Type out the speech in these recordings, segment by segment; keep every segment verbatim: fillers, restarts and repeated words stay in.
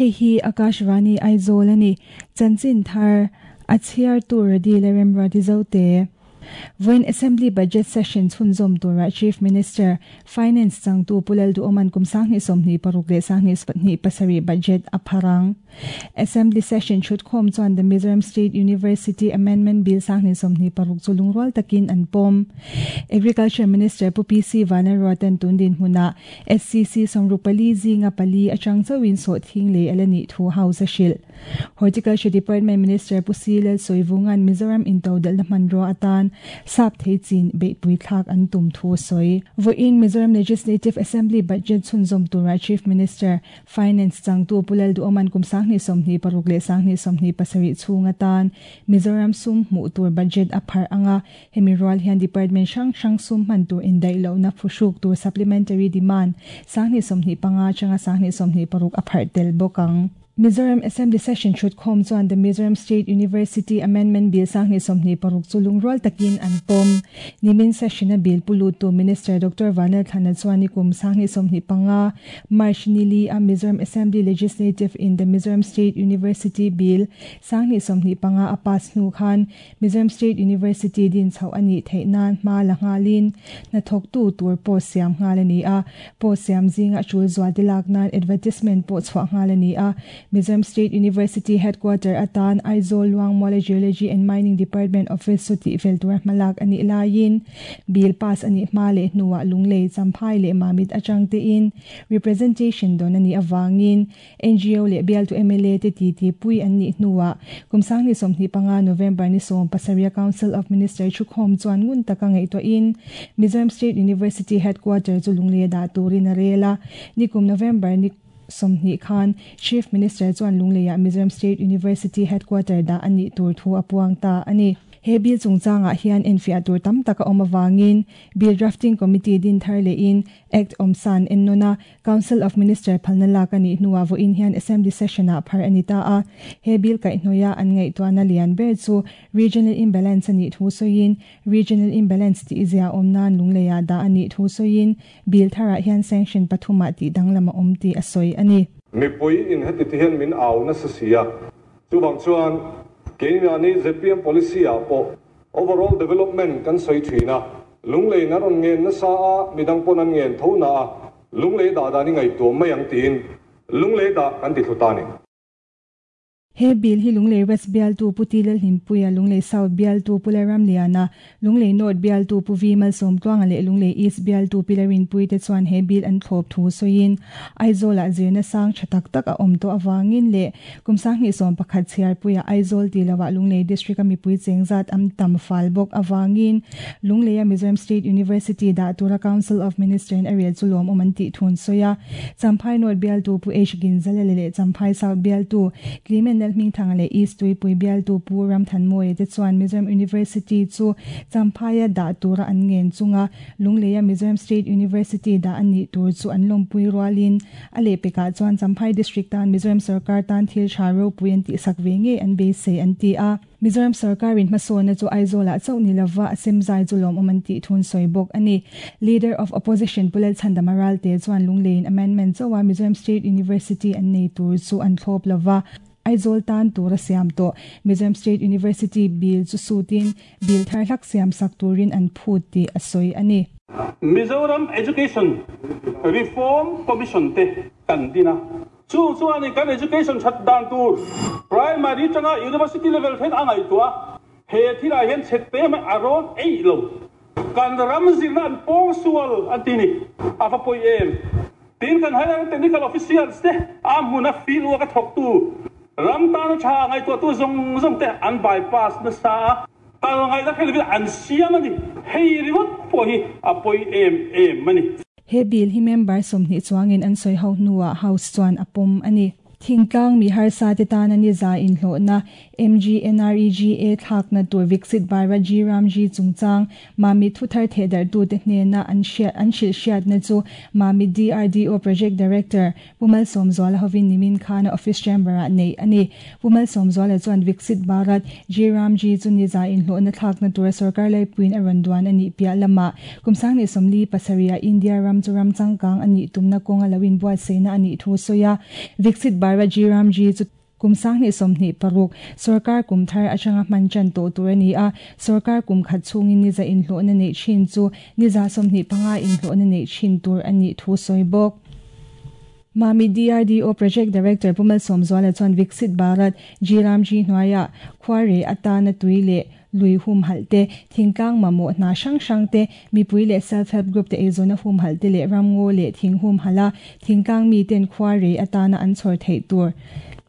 Hei hi Akashvani Aizawl ani chanchin thar a chhiar tur di le remra di zote. When Assembly Budget Session chhunzawm tura Chief Minister Finance changtu Pulal du oman kum sangni somni paruk le sangni spatni pasari budget apharang. Assembly Session chhut khom chuan the Mizoram State University Amendment Bill sangni somni paruk chulungrual takin an pom. Agriculture Minister Pu P C Vanarwatan tundin hmuna S C C somrupali zinga pali achang chawin so thing le alani thu house shil. Horticulture Department Minister Pu Silal Soivungan Mizoram intodal na manro atan sap thei chin be pui thlak an tum thu soi. Voin Mizoram Legislative Assembly budget chhunzawm tura Chief Minister Finance changtu Pulal du oman kum sangni somni paruk le sangni somni pasari chhunga tan Mizoram sum mu tur budget aphar anga hemi rual hian department hrang hrang sum man tur indai lo na phushuk tur supplementary demand sangni somni panga changa sangni somni paruk aphar tel bokang. Mizoram Assembly Session chhut khom chuan the Mizoram State University Amendment Bill sangni somni paruk chulungrual takin an pom. Nimin session a bill pulu tu Minister Doctor Vanal Thana chuan kum sangni somni panga March nili a Mizoram Assembly Legislative in the Mizoram State University Bill sangni somni panga a pass nu khan Mizoram State University din chho ani theinan ma la ngalin na thok tu tur po siam ngalani a po siam zinga chul zwa dilak nan advertisement po chwa ngalani a Mizoram State University Headquarter atan Aizawl Luangmual Geology and Mining Department Office suti fel tur malak ani lain bill pass ani male nuwa lunglei champhai le mamit achang te in representation don ani awangin N G O le bial to M L A te ti ti pui ani nuwa kumsang ni somni panga November ni som pasaria Council of Minister chukhom chuan ngun taka ngai to in Mizoram State University Headquarter chu lunglei da turin rela nikum November ni Somni Khan Chief Minister chuan lungleia Mizoram State University Headquarter da ani tur thu apuang ta ani he bill chungchanga hian enfia tur tam taka omawangin bill drafting committee din thar le in act omsan ennona Council of Minister phalna lak ani hnuwa vo in hian assembly session a phar ani ta a he bill kai hnoya an ngai to na lian ber chu regional imbalance ani thu soin regional imbalance ti izia omnan lungleia da ani thu soin bill thara hian sanction pathuma ti danglama omti asoi ani mi pui in heti ti hian min au na sa sia chu bang chuan keimahni Z P M policy a po overall development kan soi thina lunglei na ron ngen na sa a midang pon an ngen tho na lunglei da da ni ngai to mai ang tin lunglei da kan ti thuta ni. He bill hi lunglei West bial tu Putilal Himpuia lunglei South bial tu Pularam Liana lunglei North bial tu Puvimal Somtluanga le lunglei East bial tu Pilarin pui te chuan he bill an thlop thu soin Aizawl a zirna sang thatak tak a awm to awangin le kumsang ni som pakhat chiar puia Aizawl ti lawa lunglei district ami pui chengzat am tam fal bok awangin lunglei a Mizoram State University da tura Council of Minister in area chulom oman ti thun soya Champhai North bial tu Pu H Ginzale le Champhai South bial tu Clement Ming Thang le East tui pui bial tu Pu Ram Than Moi te chuan Mizoram University chu Champhaya da tura an ngen chunga lungleia Mizoram State University da ani tur chu an lompui rualin ale peka chuan Champhai district tan Mizoram sarkar tan thil tharo puian ti sakve nge an be se an ti a Mizoram sarkar in hmasawna chu Aizawl ah chauh ni lova asemzai chu lawm awm an tih thun sawi bawk ani. Leader of Opposition Pulal Chandamaral te chuan lunglein amendment chawa Mizoram State University an nei tur chu an thlawp lova Aizawl tan tura siam to Mizoram State University bill chu sutin bill thar hlak siam sak turin an phut ti asoi ani. Mizoram Education Reform Commission te kan dina chu chu ani kan education that dan tur primary tanga university level then angai tua he thila hian chette ma aron ei lo kan ram zirna an pong sual antini afa poi em tin kan higher technical officials te amuna feel wa ka thok tu ram tan cha ngai to tu zong zong te an bypass na sa tal ngai la khel an siam ani hei riwat po hi apoi em em mani he bill hi member somni chuangin an soi ho nuwa house chuan apom ani. Thingtlang mi har sa te tan ani za in hlo na M G N R E G A thak na tur Viksit Bharat G Ram G chungchang mami thuthar thedar tu te hne na an hriat an hril hriat na chu mami D R D O Project Director Pumal Somzuala hovin nimin khana office chamber a nei ani. Pumal Somzuala chuan Viksit Bharat G Ram G chu ni za in hlo na thak na tur sarkar lai puin a randuan ani pia lama kumsang ni somli pasaria India ram chu ram changkang ani tumna konga lawin buat seina ani thu soya Viksit Bharat G Ram G chu kum sang ni som ni paruk sarkar kum thar atanga man chan to tur ani a sarkar kum khat chungin ni za in hlo na nei chin chu ni za som ni panga in hlo na nei chin tur ani thu soi bok. Mami D R D O Project Director Pumal Somzwala chuan Viksit Bharat G Ram G hnuaia khware atana tuile lui hum halte thingkang mamo na sang sang te mipui le self help group te ezona hum halte le ramngo le thing hum hala thingkang mi ten khware atana an chor thei tur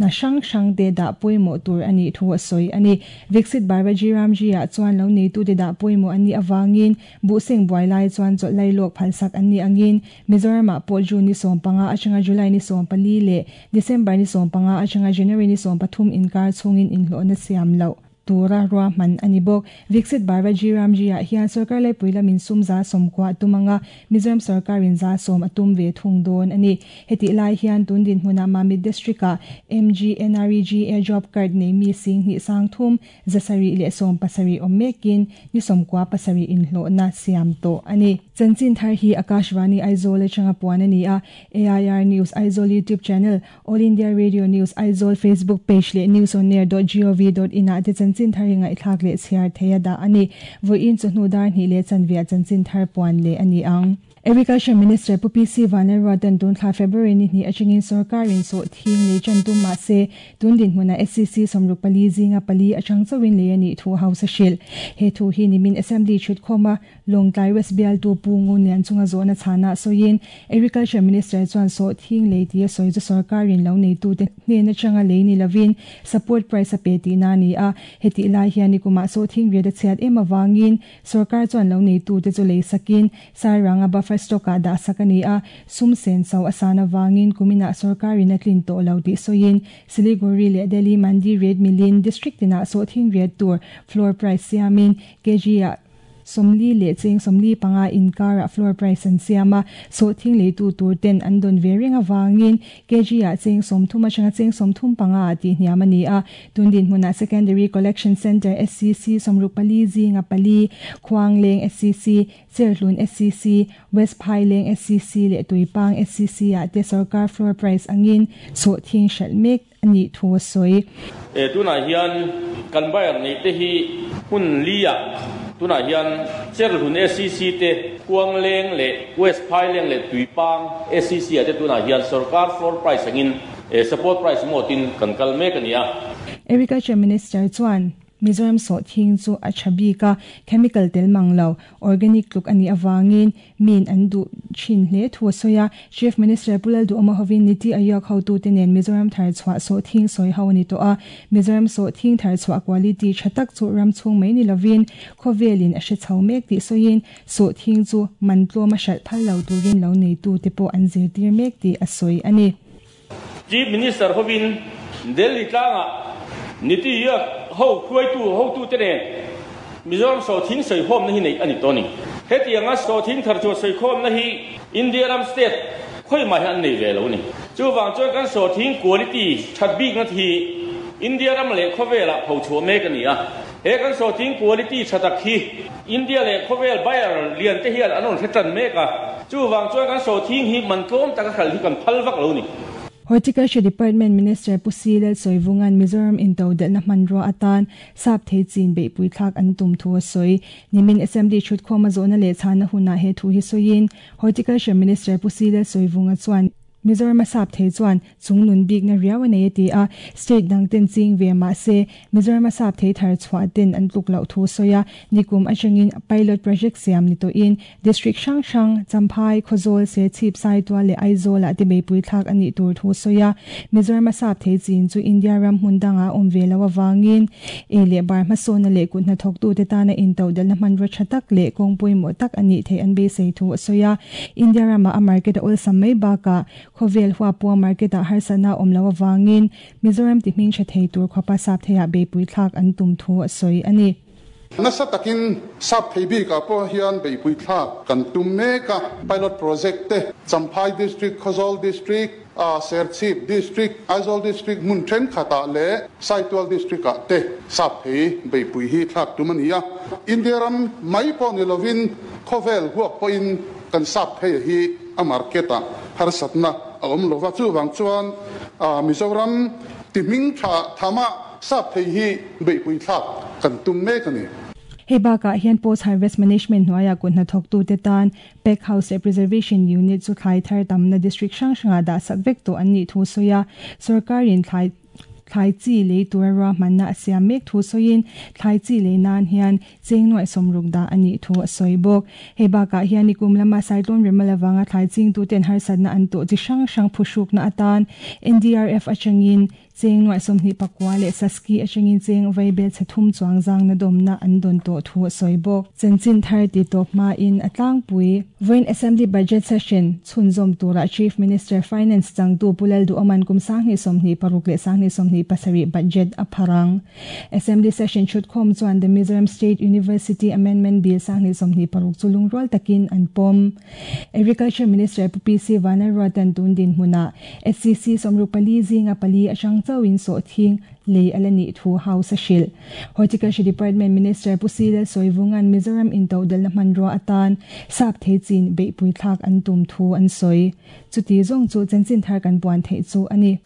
na sang sang te da poimo tur ani thu soi ani. Viksit Bharat G Ram G a chuan lo nei tu te da poimo ani awangin bu sing buai lai chuan chot lai lok phalsak ani angin Mizoram a po June ni som panga atanga July ni som pali le December ni som panga atanga January ni som pathum inkar chungin in hlo na siam lo tura ruwa man ani bok. Viksit Bharat G Ram G a hian sarkar lai puila min sum za som kwa tumanga Mizoram sarkar in za som atum ve thung don ani. Heti lai hian tun din hmuna Mami district a M G N R E G A job card nei mi sing ni sang thum zasari le som pasari omekin ni som kwa pasari in hlo na siam to ani. Chanchin thar hi Akashvani Aizawl changa puan ani a A I R News Aizawl YouTube channel, All India Radio News Aizawl Facebook page le news on air dot gov dot in a te chanchin thar ringa ithak le chhiar theia da ani. Voin chu hnu dar ni le chanvia chanchin thar puan le ani ang. Agriculture Minister Pu P C Vanlalruatan tun thla February ni ni achingin sarkarin so thing le chantum ma se tun din hmuna S C C somruk pali zinga pali achang chawin le ani thu house shil he thu hi nimin assembly chut khoma Longtlai West Bial tu pu ngun lian chunga zona chana soin Agriculture Minister chuan so thing le ti soi chu sarkarin lo nei tu te hne na changa le ni lovin support price a pe ti na ni a heti lai hian ni kuma so thing re da chiat em awangin sarkar chuan lo nei tu te chu le sakin sairanga buffer stock a da sakani a sum sen so asana wangin kumina sarkari na tlin to lo ti soin Siliguri le Delhi Mandi Red Million District na so thing red tur floor price siamin kg a somli le cheng somli panga inkara floor price an siama so thing le tu tur ten an don vering awangin kg a cheng som thuma changa cheng som thum panga ti hniam ani a tundin hmuna Secondary Collection Center S C C somruk pali zinga pali Khuangleng S C C Cherhlun S C C West Phaileng S C C le Tuipang S C C a te sarkar floor price angin so thing shal mek ani thu soi e tuna hian kan bayar nei te hi hun lia tuna hian Cherhlun S C C te Khuangleng le West Phaileng le Tuipang S C C ate tuna hian sarkar floor price angin support price mo tin kan kal mek ania. Agriculture Minister chuan Mizoram so thing chu a chabi ka chemical tel manglo organic tluk ani awangin min an du chin hle thu soya Chief Minister Pulal du amahovin Niti Aayog hotu tenen Mizoram thar chwa so thing soi ho ni to a Mizoram so thing thar chwa quality thatak chu ram chung mai ni lovin khovelin a she chau mek ti soin so thing chu mantlo ma shal phal lo turin lo nei tu te po an zir tir mek ti a soi ani. Chief Minister hovin Delhi tlanga Niti Aayog ho khuai tu ho tu te ne Mizoram so thing soi hom na hi nei ani toni heti anga so thing thar chu soi khom na hi India ram state khoi ma han nei ve lo ni chu wang chuan kan so thing quality that bik na thi India ram le khowela pho chu me ka ni a he kan so thing quality thatak hi India le khovel buyer lian te hian anon thatan me ka chu wang chuan kan so thing hi man tlom taka khal hi kan phal vak lo ni. Horticulture Department Minister Pusilal Soivungan Mizoram into del na manro atan sap thei chin be pui thlak an tum thu soi nimin assembly chut khoma zona le chana huna he thu hi soin Horticulture Minister Pusilal Soivunga chuan Mizoram sap thei chuan chungnun bik na riaw nei ti a state dang ten ching ve ma se Mizoram sap thei thar chwa ten an tluk lo thu soya nikum achangin pilot project siam ni to in district sang sang Champhai Khawzawl se chip sai twa le Aizawl a te be pui thlak ani tur thu soya Mizoram sap thei chin chu India ram hmundanga om ve lo awangin e le bar ma so na le kun na thok tu te ta na in to dal na man ro thatak le kong pui mo tak ani thei an be sei thu soya India ram a market ol samai ba ka khovel hua pua market a harsana omlo awangin Mizoram ti hming tha thei tur khopa sap theia be pui thlak an tum thu a soi ani. Nasa takin sap thei bi ka po hian be pui thlak kan tum me ka pilot project te Champhai district Khawzawl district a Serchhip district Aizawl district mun then khata le Saitual district a te sap thei be pui hi thlak tum ani a India ram mai po ni lovin khovel huak po in kan sap thei hi a market a harsatna a awm lova chuwang chuan Mizoram ti hming tha thama sap thei hi beipui thlak kan tum mek ani. Hei bakah hian Post Harvest Management hnuaiah kut hnathawk tute tan Pack House leh Preservation Unit chu thlai thar tamna district hrang hrangah dah sak vek tawh an nih thu sawi a, sorkarin thlai thlai chi lei tura ruahmanna a siam mek thu sawiin thlai chi lei nan hian cheng nuaih sawmruk dah a nih thu a sawi bawk. Hei bakah hian nikum lama Cyclone Remal avanga thlai ching tuten harsatna an tawh chi hrang hrang phuhrukna atan N D R F atangin cheng nuaih sawmhnih pakua leh Saski atangin cheng vaibel chhe thum chuang zangna dawmna an dawn tawh thu a sawi bawk. Chanchin thar ti tawp hmain a tlangpui Vawiin Assembly Budget Session chhunzawm tura Chief Minister Finance changtu Pu Lalduhawman kum sanghnih sawmhnih paruk leh sanghnih sawmhnih pasarih budget a pharang. Assembly Session thutkhawm chuan The Mizoram State University Amendment Bill sanghnih sawmhnih paruk chu lungrual takin an pawm. Agriculture Minister Pu P C Vanlalruatan tun dinhmunah S C C sawmruk pali zinga pali atang chauhin sawhthing lei ala nih thu House a hrilh. Horticulture Department Minister Pu C Lalsawivungan Mizoram intodalna hmanrua atan sap thei chin beihpui thlak an tum thu an sawi. Chuti zawng chu chanchin thar kan puan theih chu ani.